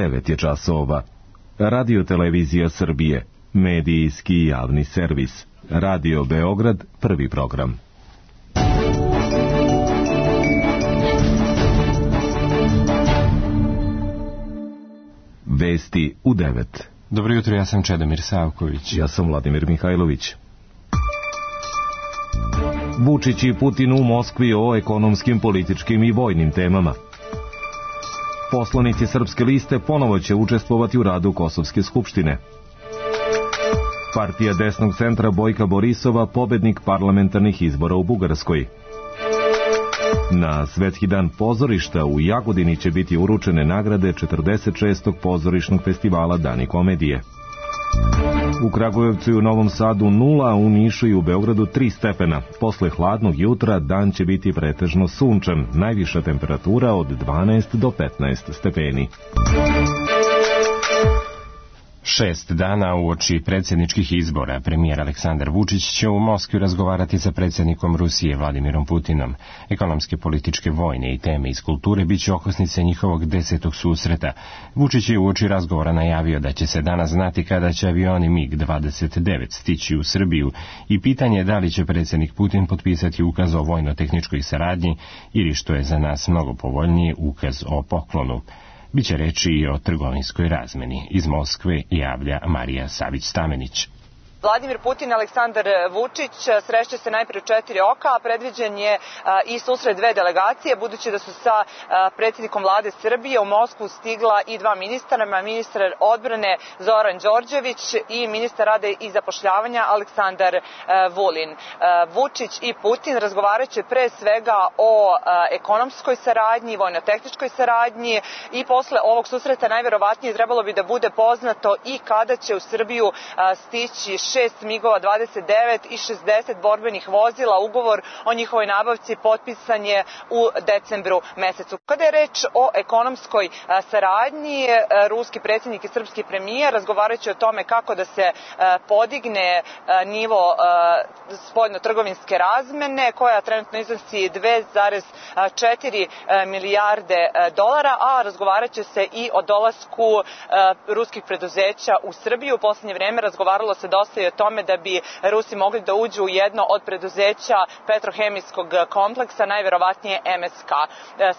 9 je časova. Radio Televizija Srbije, medijski javni servis. Radio Beograd, prvi program. Vesti u 9. Dobro jutro, ja sam Čedomir Savković. Ja sam Vladimir Mihajlović. Vučić i Putin u Moskvi o ekonomskim, političkim i vojnim temama. Poslanici Srpske liste ponovo će učestvovati u radu Kosovske skupštine. Partija desnog centra Bojka Borisova pobednik parlamentarnih izbora u Bugarskoj. Na Svetski dan pozorišta u Jagodini će biti uručene nagrade 46. pozorišnog festivala Dani komedije. U Kragujevcu i u Novom Sadu 0, a u Nišu i u Beogradu 3 stepena. Posle hladnog jutra dan će biti pretežno sunčan, najviša temperatura od 12 do 15 stepeni. 6 dana uoči predsjedničkih izbora premijer Aleksandar Vučić će u Moskvi razgovarati sa predsjednikom Rusije Vladimirom Putinom. Ekonomske, političke, vojne i teme iz kulture bit će okosnice njihovog 10. susreta. Vučić je uoči razgovora najavio da će se danas znati kada će avioni MiG-29 stići u Srbiju i pitanje je da li će predsjednik Putin potpisati ukaz o vojno-tehničkoj saradnji ili, što je za nas mnogo povoljnije, ukaz o poklonu. Biće reči i o trgovinskoj razmeni. Iz Moskve javlja Marija Savić-Stamenić. Vladimir Putin i Aleksandar Vučić srešće se najpre u 4 oka, a predviđen je i susret 2 delegacije, budući da su sa predsjednikom vlade Srbije u Moskvu stigla i 2 ministra, ministar odbrane Zoran Đorđević i ministar rada i zapošljavanja Aleksandar Vulin. Vučić i Putin razgovaraće pre svega o ekonomskoj saradnji, vojno-tehničkoj saradnji i posle ovog susreta najverovatnije trebalo bi da bude poznato i kada će u Srbiju stići 6 MiG-ova 29 i 60 borbenih vozila. Ugovor o njihovoj nabavci potpisan je u decembru mesecu. Kada je reč o ekonomskoj saradnji, ruski predsjednik i srpski premijer razgovarajući o tome kako da se podigne nivo spoljno-trgovinske razmene, koja trenutno iznosi 2,4 milijarde dolara, a razgovarat će se i o dolasku ruskih preduzeća u Srbiju. U posljednje vreme razgovaralo se dosta i o tome da bi Rusi mogli da uđu u jedno od preduzeća petrohemijskog kompleksa, najverovatnije MSK.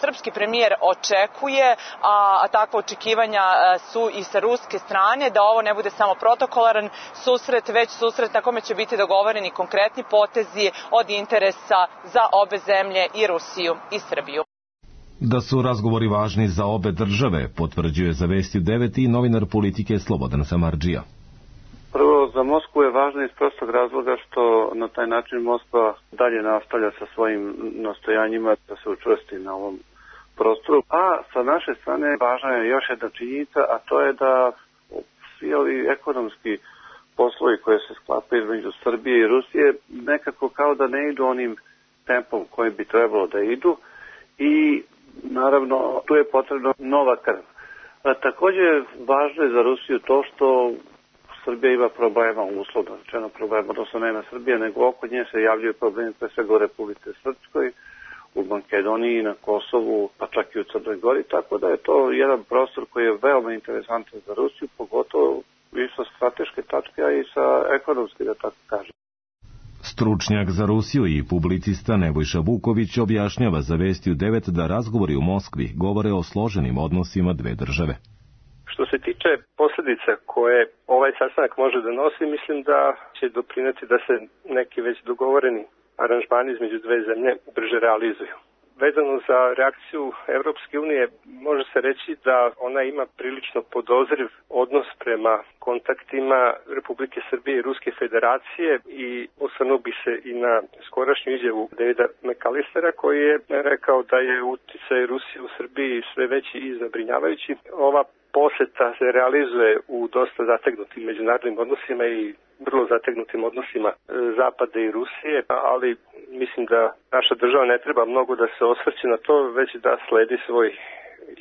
Srpski premijer očekuje, a takva očekivanja su i sa ruske strane, da ovo ne bude samo protokolaran susret, već susret na kome će biti dogovoreni konkretni potezi od interesa za obe zemlje, i Rusiju i Srbiju. Da su razgovori važni za obe države, potvrđuje za Vesti 9 i novinar Politike Slobodan Samardžija. Prvo, za Moskvu je važno iz prostog razloga što na taj način Moskva dalje nastavlja sa svojim nastojanjima da se učvrsti na ovom prostoru. A sa naše strane važna je još jedna činjenica, a to je da svi ovi ekonomski poslovi koje se sklapaju između Srbije i Rusije nekako kao da ne idu onim tempom kojim bi trebalo da idu i naravno tu je potrebno nova krv. Također važno je za Rusiju to što Srbija ima problema, uslovno rečeno problema, odnosno ne na Srbije, nego oko nje se javljaju problemi pre svega u Republike Srpskoj, u Makedoniji, na Kosovu, pa čak i u Crnoj Gori, tako da je to jedan prostor koji je veoma interesantan za Rusiju, pogotovo i sa strateške tačke, a i sa ekonomske, da tako kažem. Stručnjak za Rusiju i publicista Nebojša Vuković objašnjava za Vestiju 9 da razgovori u Moskvi govore o složenim odnosima dve države. Što se tiče posljedica koje ovaj sastanak može da nosi, mislim da će doprineti da se neki već dogovoreni aranžmani između dve zemlje brže realizuju. Vezano za reakciju Evropske unije, može se reći da ona ima prilično podozriv odnos prema kontaktima Republike Srbije i Ruske federacije i osvrnuo bi se i na skorašnju izjavu Davida McAllistera koji je rekao da je uticaj Rusije u Srbiji sve veći i zabrinjavajući. Ova poseta se realizuje u dosta zategnutim međunarodnim odnosima i vrlo zategnutim odnosima Zapada i Rusije, ali mislim da naša država ne treba mnogo da se osvrće na to, već da sledi svoj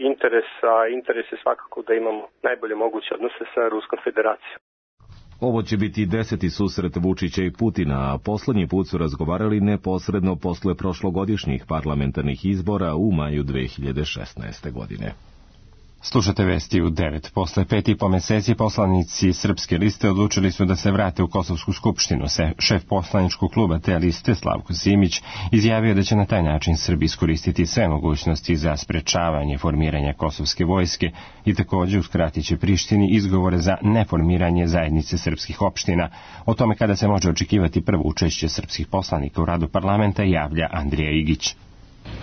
interes, a interes je svakako da imamo najbolje moguće odnose sa Ruskom federacijom. Ovo će biti 10. susret Vučića i Putina, a poslednji put su razgovarali neposredno posle prošlogodišnjih parlamentarnih izbora u maju 2016. godine. Slušate vesti u 9. Posle 5,5 meseci poslanici Srpske liste odlučili su da se vrate u Kosovsku skupštinu. Šef poslaničkog kluba te liste, Slavko Simić, izjavio da će na taj način Srbi iskoristiti sve mogućnosti za sprečavanje formiranja kosovske vojske i također uskratit će Prištini izgovore za neformiranje zajednice srpskih opština. O tome kada se može očekivati prvo učešće srpskih poslanika u radu parlamenta javlja Andrija Igić.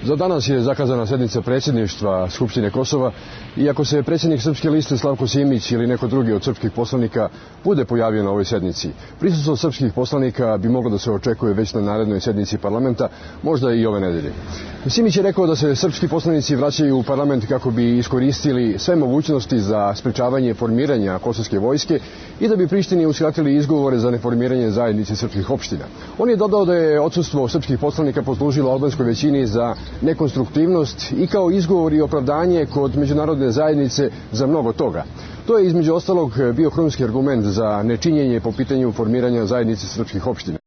Za danas je zakazana sednica predsjedništva Skupštine Kosova i ako se predsjednik Srpske liste Slavko Simić ili neko drugi od srpskih poslanika bude pojavio na ovoj sednici, prisustvo srpskih poslanika bi moglo da se očekuje već na narednoj sednici parlamenta, možda i ove nedelje. Simić je rekao da se srpski poslanici vraćaju u parlament kako bi iskoristili sve mogućnosti za sprečavanje formiranja kosovske vojske i da bi Prištini uskratili izgovore za neformiranje zajednice srpskih opština. On je dodao da je odsustvo srpskih poslanika poslužilo albanskoj većini za nekonstruktivnost i kao izgovor i opravdanje kod međunarodne zajednice za mnogo toga. To je između ostalog bio krunski argument za nečinjenje po pitanju formiranja zajednice srpskih opština.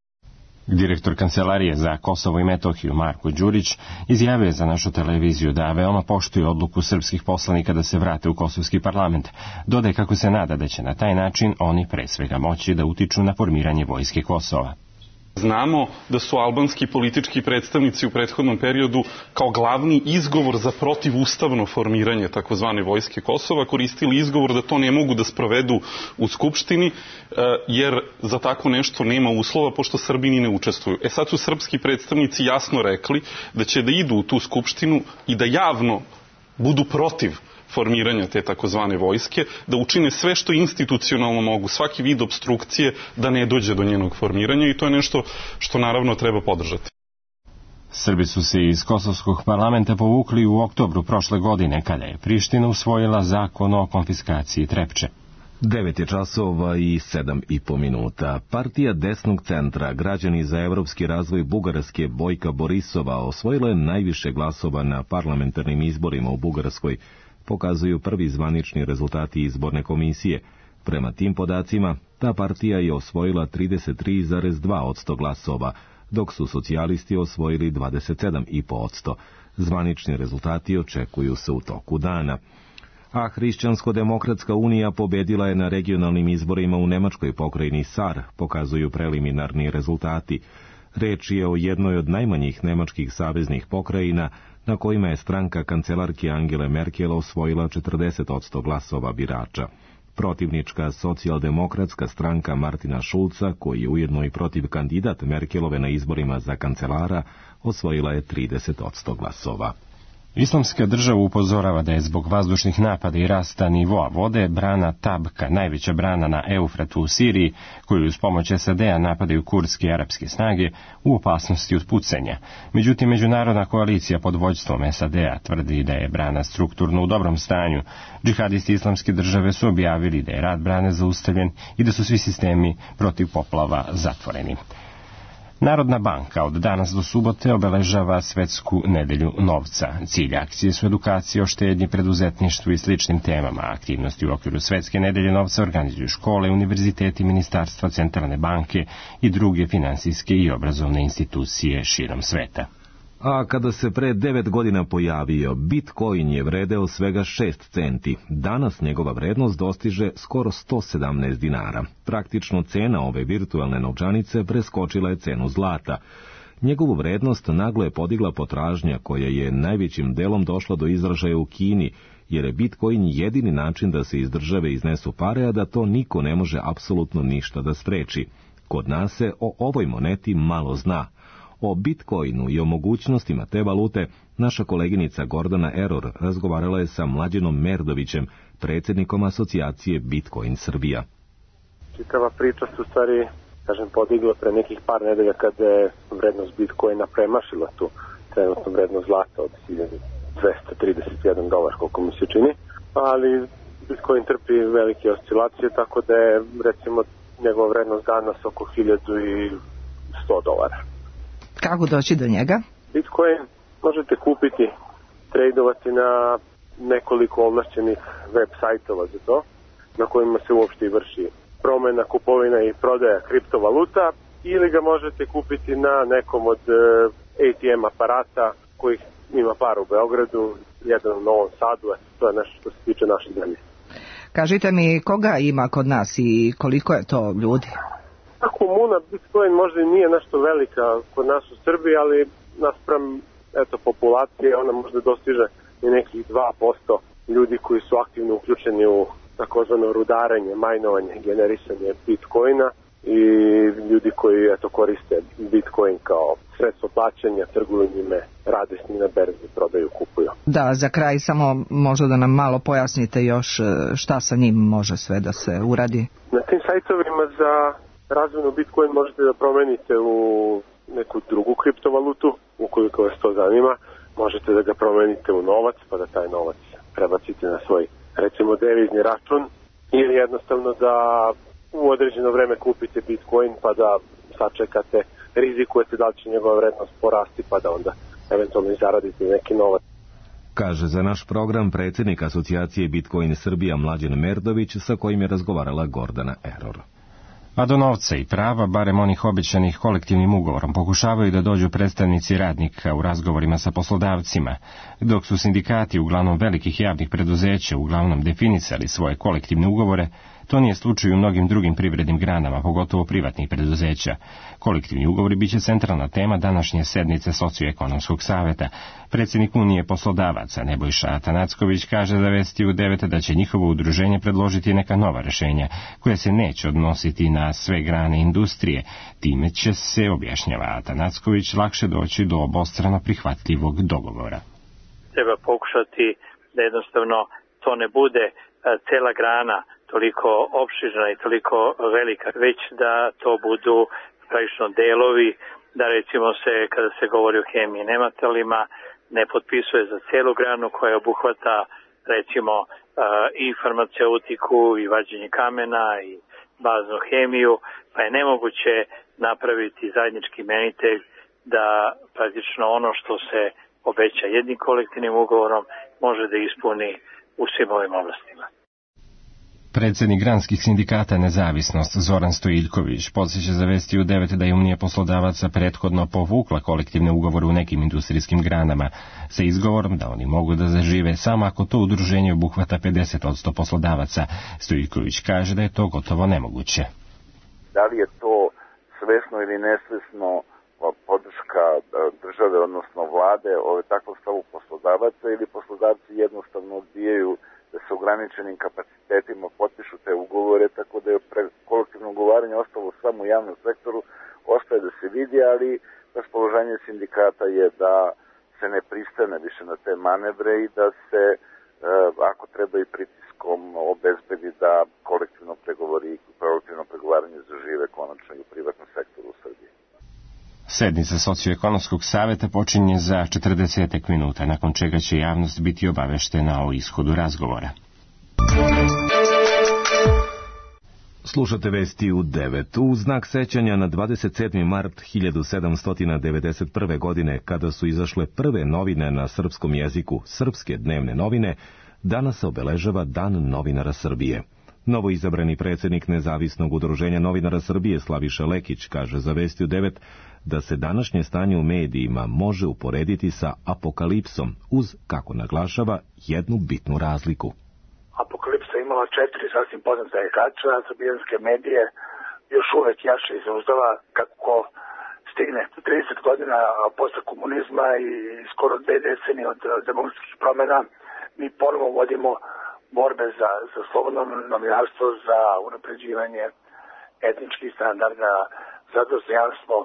Direktor Kancelarije za Kosovo i Metohiju Marko Đurić izjavio je za našu televiziju da veoma poštuje odluku srpskih poslanika da se vrate u kosovski parlament. Dodaje kako se nada da će na taj način oni pre svega moći da utiču na formiranje vojske Kosova. Znamo da su albanski politički predstavnici u prethodnom periodu kao glavni izgovor za protivustavno formiranje takozvane vojske Kosova koristili izgovor da to ne mogu da sprovedu u Skupštini jer za tako nešto nema uslova pošto Srbini ne učestvuju. Sad su srpski predstavnici jasno rekli da će da idu u tu Skupštinu i da javno budu protiv formiranja te takozvane vojske, da učine sve što institucionalno mogu, svaki vid obstrukcije da ne dođe do njenog formiranja i to je nešto što naravno treba podržati. Srbi su se iz Kosovskog parlamenta povukli u oktobru prošle godine kada je Priština usvojila zakon o konfiskaciji Trepče. 9 je časova i 7,5 minuta. Partija desnog centra Građani za evropski razvoj Bugarske Bojka Borisova osvojila je najviše glasova na parlamentarnim izborima u Bugarskoj, pokazuju prvi zvanični rezultati izborne komisije. Prema tim podacima, ta partija je osvojila 33,2% glasova, dok su socijalisti osvojili 27,5%. Zvanični rezultati očekuju se u toku dana. A Hrišćansko-demokratska unija pobedila je na regionalnim izborima u nemačkoj pokrajini Sar, pokazuju preliminarni rezultati. Reč je o jednoj od najmanjih nemačkih saveznih pokrajina, na kojima je stranka kancelarke Angele Merkel osvojila 40% glasova birača. Protivnička socijaldemokratska stranka Martina Šulca, koji je ujedno i protiv kandidat Merkelove na izborima za kancelara, osvojila je 30% glasova. Islamska država upozorava da je zbog vazdušnih napada i rasta nivoa vode brana Tabka, najveća brana na Eufratu u Siriji, koju uz pomoć SAD-a napadaju kurdske i arapske snage, u opasnosti od pucanja. Međutim, međunarodna koalicija pod vođstvom SAD-a tvrdi da je brana strukturno u dobrom stanju. Džihadisti Islamske države su objavili da je rad brane zaustavljen i da su svi sistemi protiv poplava zatvoreni. Narodna banka od danas do subote obeležava Svetsku nedelju novca. Cilj akcije su edukacije o štednji, preduzetništvu i sličnim temama. Aktivnosti u okviru Svetske nedelje novca organizuju škole, univerziteti, ministarstva, centralne banke i druge finansijske i obrazovne institucije širom sveta. A kada se pre 9 godina pojavio, Bitcoin je vredeo svega 6 centi. Danas njegova vrednost dostiže skoro 117 dinara. Praktično cena ove virtualne novčanice preskočila je cenu zlata. Njegovu vrednost naglo je podigla potražnja koja je najvećim delom došla do izražaja u Kini, jer je Bitcoin jedini način da se iz države iznesu pare, a da to niko ne može apsolutno ništa da spreči. Kod nas se o ovoj moneti malo zna. O Bitcoinu i o mogućnostima te valute naša koleginica Gordana Eror razgovarala je sa Mlađenom Merdovićem, predsjednikom asocijacije Bitcoin Srbija. Čitava priča se u stvari, podigla pre nekih par nedelja kada je vrednost Bitcoina premašila tu trenutnu vrednost zlata od $1.231, koliko mi se čini, ali Bitcoin trpi velike oscilacije, tako da je recimo njegova vrednost danas oko $1.100. Kako doći do njega? Bitcoin možete kupiti, trejdovati na nekoliko ovlašćenih web sajtova za to, na kojima se uopšte vrši promena, kupovina i prodaja kriptovaluta, ili ga možete kupiti na nekom od ATM aparata kojih ima par u Beogradu, jedan u Novom Sadu, to je nešto što se tiče naše zemlje. Kažite mi, koga ima kod nas i koliko je to ljudi? Komuna Bitcoin možda i nije nešto velika kod nas u Srbiji, ali naspram populacije ona možda dostiže i nekih 2% ljudi koji su aktivno uključeni u takozvano rudarenje, majnovanje, generisanje Bitcoina i ljudi koji koriste Bitcoin kao sredstvo plaćanja, trguju njime, rade s njim na berzi, prodaju, kupuju. Da, za kraj samo možda da nam malo pojasnite još šta sa njim može sve da se uradi. Na tim sajtovima za razvojnu Bitcoin možete da promenite u neku drugu kriptovalutu, ukoliko vas to zanima. Možete da ga promenite u novac, pa da taj novac prebacite na svoj, recimo, devizni račun, ili jednostavno da u određeno vreme kupite Bitcoin pa da sačekate, rizikujete da li će njegova vrednost porasti pa da onda eventualno zaradite neki novac. Kaže za naš program predsjednik asocijacije Bitcoin Srbija Mlađan Merdović, sa kojim je razgovarala Gordana Error. A do novca i prava, barem onih obećanih kolektivnim ugovorom, pokušavaju da dođu predstavnici radnika u razgovorima sa poslodavcima, dok su sindikati uglavnom velikih javnih preduzeća uglavnom definisali svoje kolektivne ugovore. To nije slučaj u mnogim drugim privrednim granama, pogotovo privatnih preduzeća. Kolektivni ugovori biće centralna tema današnje sednice Socioekonomskog saveta. Predsjednik Unije poslodavaca Nebojša Atanacković kaže za Vesti u 9 da će njihovo udruženje predložiti neka nova rješenja, koja se neće odnositi na sve grane industrije. Time će se, objašnjava Atanacković, lakše doći do obostrano prihvatljivog dogovora. Treba pokušati da jednostavno to ne bude cela grana toliko opširna i toliko velika, već da to budu praktično delovi, da recimo se, kada se govori o hemiji i nematerijalima, ne potpisuje za celu granu koja obuhvata recimo i farmaceutiku i vađenje kamena i baznu hemiju, pa je nemoguće napraviti zajednički imenitelj da praktično ono što se obeća jednim kolektivnim ugovorom može da ispuni u svim ovim oblastima. Predsjednik granskih sindikata Nezavisnost Zoran Stojiljković podsjeća za Vesti u 9 da je Unija poslodavaca prethodno povukla kolektivne ugovore u nekim industrijskim granama sa izgovorom da oni mogu da zažive samo ako to udruženje obuhvata 50% poslodavaca. Stojiljković kaže da je to gotovo nemoguće. Da li je to svesno ili nesvesno podrška države, odnosno vlade, takvog stavu poslodavaca, ili poslodavci jednostavno odbijaju da se ograničenim kapacitetima potpišu te ugovore, tako da je kolektivno ugovaranje ostalo samo u javnom sektoru, ostaje da se vidi, ali raspoloženje sindikata je da se ne pristane više na te manevre i da se, ako treba i pritiskom, obezbedi da kolektivno pregovaranje zažive konačno i u privatnom sektoru u Srbiji. Sednica Socioekonomskog saveta počinje za 40 minuta, nakon čega će javnost biti obaveštena o ishodu razgovora. Slušate Vesti u 9. U znak sećanja na 27. mart 1791. godine, kada su izašle prve novine na srpskom jeziku, Srpske dnevne novine, danas se obeležava Dan novinara Srbije. Novoizabrani predsjednik Nezavisnog udruženja novinara Srbije Slaviša Lekić kaže za Vesti u 9 da se današnje stanje u medijima može uporediti sa apokalipsom uz, kako naglašava, jednu bitnu razliku. Apokalipsa imala 4 sasvim poznata igrača, srbijanske medije još uvek jaše i zauzdava kako stigne 30 godina posle komunizma i skoro 2 decenije od demokratskih promjena. Mi ponovo vodimo borbe za slobodno novinarstvo, za unapređivanje etničkih standarda, za dostojanstvo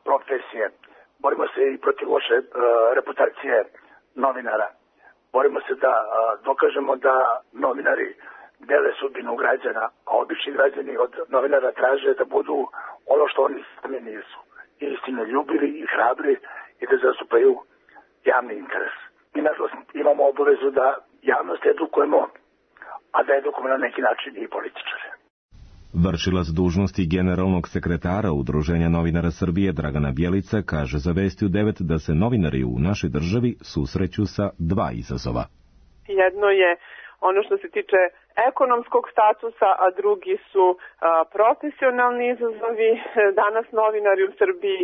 profesije. Borimo se i protiv loše reputacije novinara. Borimo se da dokažemo da novinari dele sudbinu građana, a obični građani od novinara traže da budu ono što oni sami nisu. Istinoljubivi i hrabri i da zastupaju javni interes. Mi nažalost imamo obavezu da javnost edukujemo, a da edukujemo na neki način i političare. Vršilac dužnosti generalnog sekretara Udruženja novinara Srbije Dragana Bjelica kaže za Vesti u 9 da se novinari u našoj državi susreću sa 2 izazova. Jedno je ono što se tiče ekonomskog statusa, a drugi su profesionalni izazovi. Danas novinari u Srbiji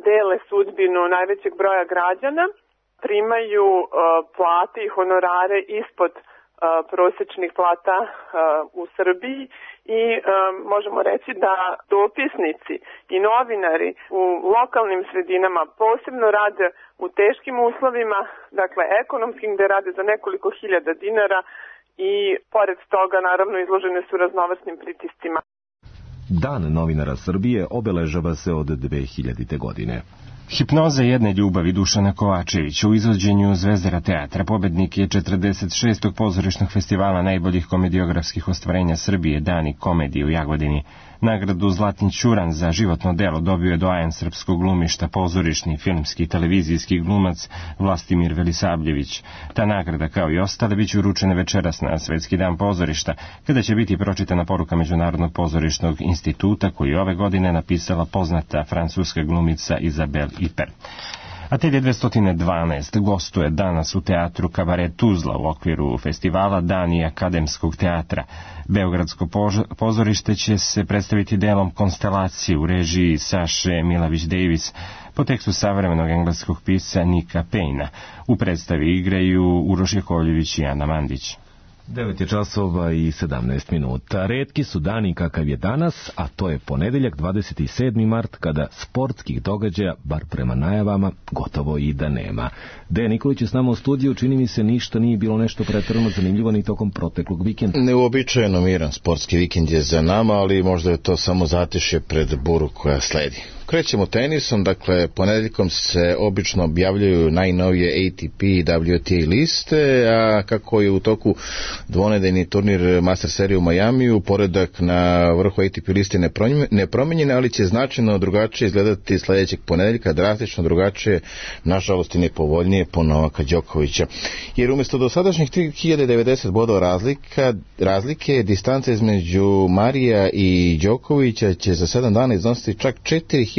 dele sudbinu najvećeg broja građana, primaju plate i honorare ispod prosječnih plata u Srbiji i možemo reći da dopisnici i novinari u lokalnim sredinama posebno rade u teškim uslovima, dakle ekonomskim, gde rade za nekoliko hiljada dinara i pored toga naravno izložene su raznovrsnim pritiscima. Dan novinara Srbije obeležava se od 2000. godine. Hipnoza jedne ljubavi Dušana Kovačevića u izvođenju Zvezdara teatra pobednik je 46. pozorišnog festivala najboljih komediografskih ostvarenja Srbije Dani komedije u Jagodini. Nagradu Zlatni ćuran za životno delo dobio je doajen srpskog glumišta, pozorišni, filmski i televizijski glumac Vlastimir Velisavljević. Ta nagrada, kao i ostale, biće uručena večeras na Svetski dan pozorišta, kada će biti pročitana poruka Međunarodnog pozorišnog instituta, koju ove godine napisala poznata francuska glumica Izabel Iper. Atelje 212 gostuje danas u teatru Kabaret Tuzla u okviru festivala Dani akademskog teatra. Beogradsko pozorište će se predstaviti delom Konstelacije u režiji Saše Milavić-Davis po tekstu savremenog engleskog pisca Nika Payna. U predstavi igraju Uroš Jakovljević i Ana Mandić. 9 je časova i 17 minuta. Retki su dani kakav je danas, a to je ponedeljak 27. mart, kada sportskih događaja, bar prema najavama, gotovo i da nema. Dejan Nikolić je s nama u studiju, čini mi se ništa nije bilo nešto pretjerano zanimljivo ni tokom proteklog vikenda. Neuobičajeno miran sportski vikend je za nama, ali možda je to samo zatišje pred buru koja sledi. Krećemo tenisom, dakle, ponedeljkom se obično objavljaju najnovije ATP i WTA liste, a kako je u toku dvonedeljni turnir Master serije u Majamiju, poredak na vrhu ATP liste nepromenjen, ali će značajno drugačije izgledati sljedećeg ponedeljka, drastično drugačije, nažalost i nepovoljnije po Novaka Đokovića. Jer umjesto dosadašnjih 3090 bodova razlike, distanca između Marija i Đokovića će za 7 dana iznositi čak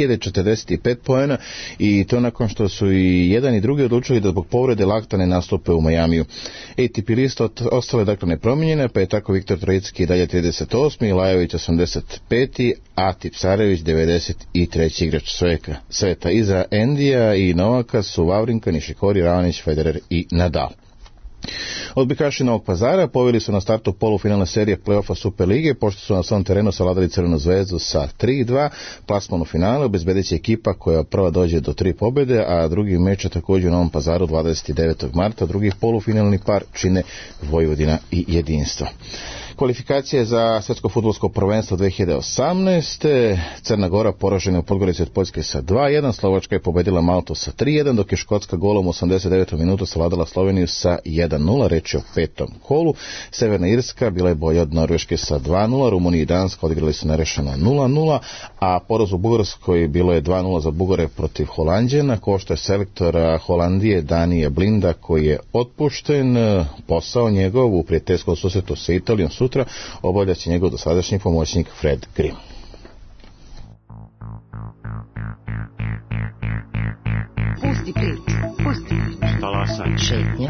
4045 poena, i to nakon što su i jedan i drugi odlučili da zbog povrede lakta ne nastupe u Majamiju. ATP lista ostale dakle nepromijenjene, pa je tako Viktor Trojicki dalje 38. Lajović 85. a Tipsarević 93. igrač sveta. Iza Endija i Novaka su Vavrinka, Nišikori, Ravanić, Federer i Nadal. Odbojkaši Novog Pazara poveli su na startu polufinalne serije play-offa Super lige, pošto su na svom terenu savladali Crvenu zvezdu sa 3-2. Plasman u finale obezbedit će ekipa koja prva dođe do 3 pobjede, a drugi meč je također u Novom Pazaru 29. marta. Drugi polufinalni par čine Vojvodina i Jedinstvo. Kvalifikacije za svjetsko fudbalsko prvenstvo 2018. Crna Gora poražena u Podgorici od Poljske sa 2-1, Slovačka je pobedila Maltu sa 3-1, dok je Škotska golom u 89. minutu savladala Sloveniju sa 1-0, reč je o 5. kolu. Severna Irska bila je bolja od Norveške sa 2-0, Rumunija i Danska odigrali su nerešeno 0-0, a poraz u Bugarskoj bilo je 2-0 za Bugare protiv Holanđana, košta je selektora Holandije Danije Blinda, koji je otpušten. Posao njegov u prijateljskom susretu sa Italijom sutra obavlja će njegov dosadašnji pomoćnik Fred Grimm. Pusti priču, pusti. Talasaj. Šetnje.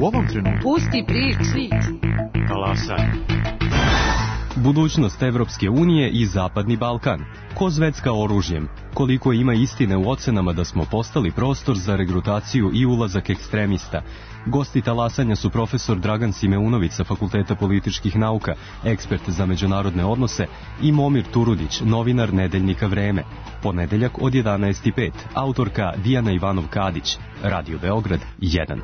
U ovom trenutku. Pusti priču. Talasaj. Budućnost Evropske unije i Zapadni Balkan. Ko zvecka oružjem? Koliko ima istine u ocenama da smo postali prostor za regrutaciju i ulazak ekstremista? Gosti talasanja su profesor Dragan Simeunović sa Fakulteta političkih nauka, ekspert za međunarodne odnose, i Momir Turudić, novinar nedeljnika Vreme. Ponedeljak od 11:05, autorka Dijana Ivanov-Kadić, Radio Beograd 1.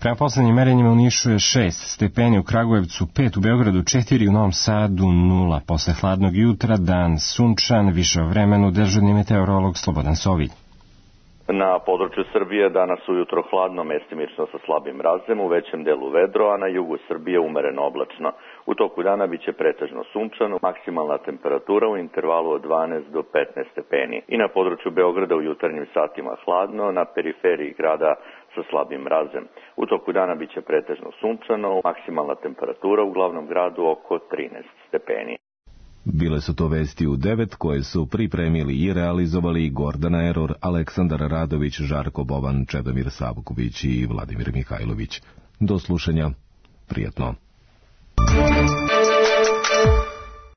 Prema poslednjim merenjima u Nišu je 6 stepeni, u Kragujevcu 5, u Beogradu 4, u Novom Sadu 0. Posle hladnog jutra dan sunčan, više o vremenu dežurni meteorolog Slobodan Sovilj. Na području Srbije danas ujutro hladno, mestimično sa slabim mrazem, u većem delu vedro, a na jugu Srbije umereno oblačno. U toku dana biće pretežno sunčano, maksimalna temperatura u intervalu od 12 do 15 stepeni. I na području Beograda u jutarnjim satima hladno, na periferiji grada sa slabim mrazem. U toku dana biće pretežno sunčano, maksimalna temperatura u glavnom gradu oko 13 stepeni. Bile su to vesti u 9 koje su pripremili i realizovali Gordana Eror, Aleksandar Radović, Žarko Bovan, Čedomir Savković i Vladimir Mihajlović. Do slušanja. Prijatno.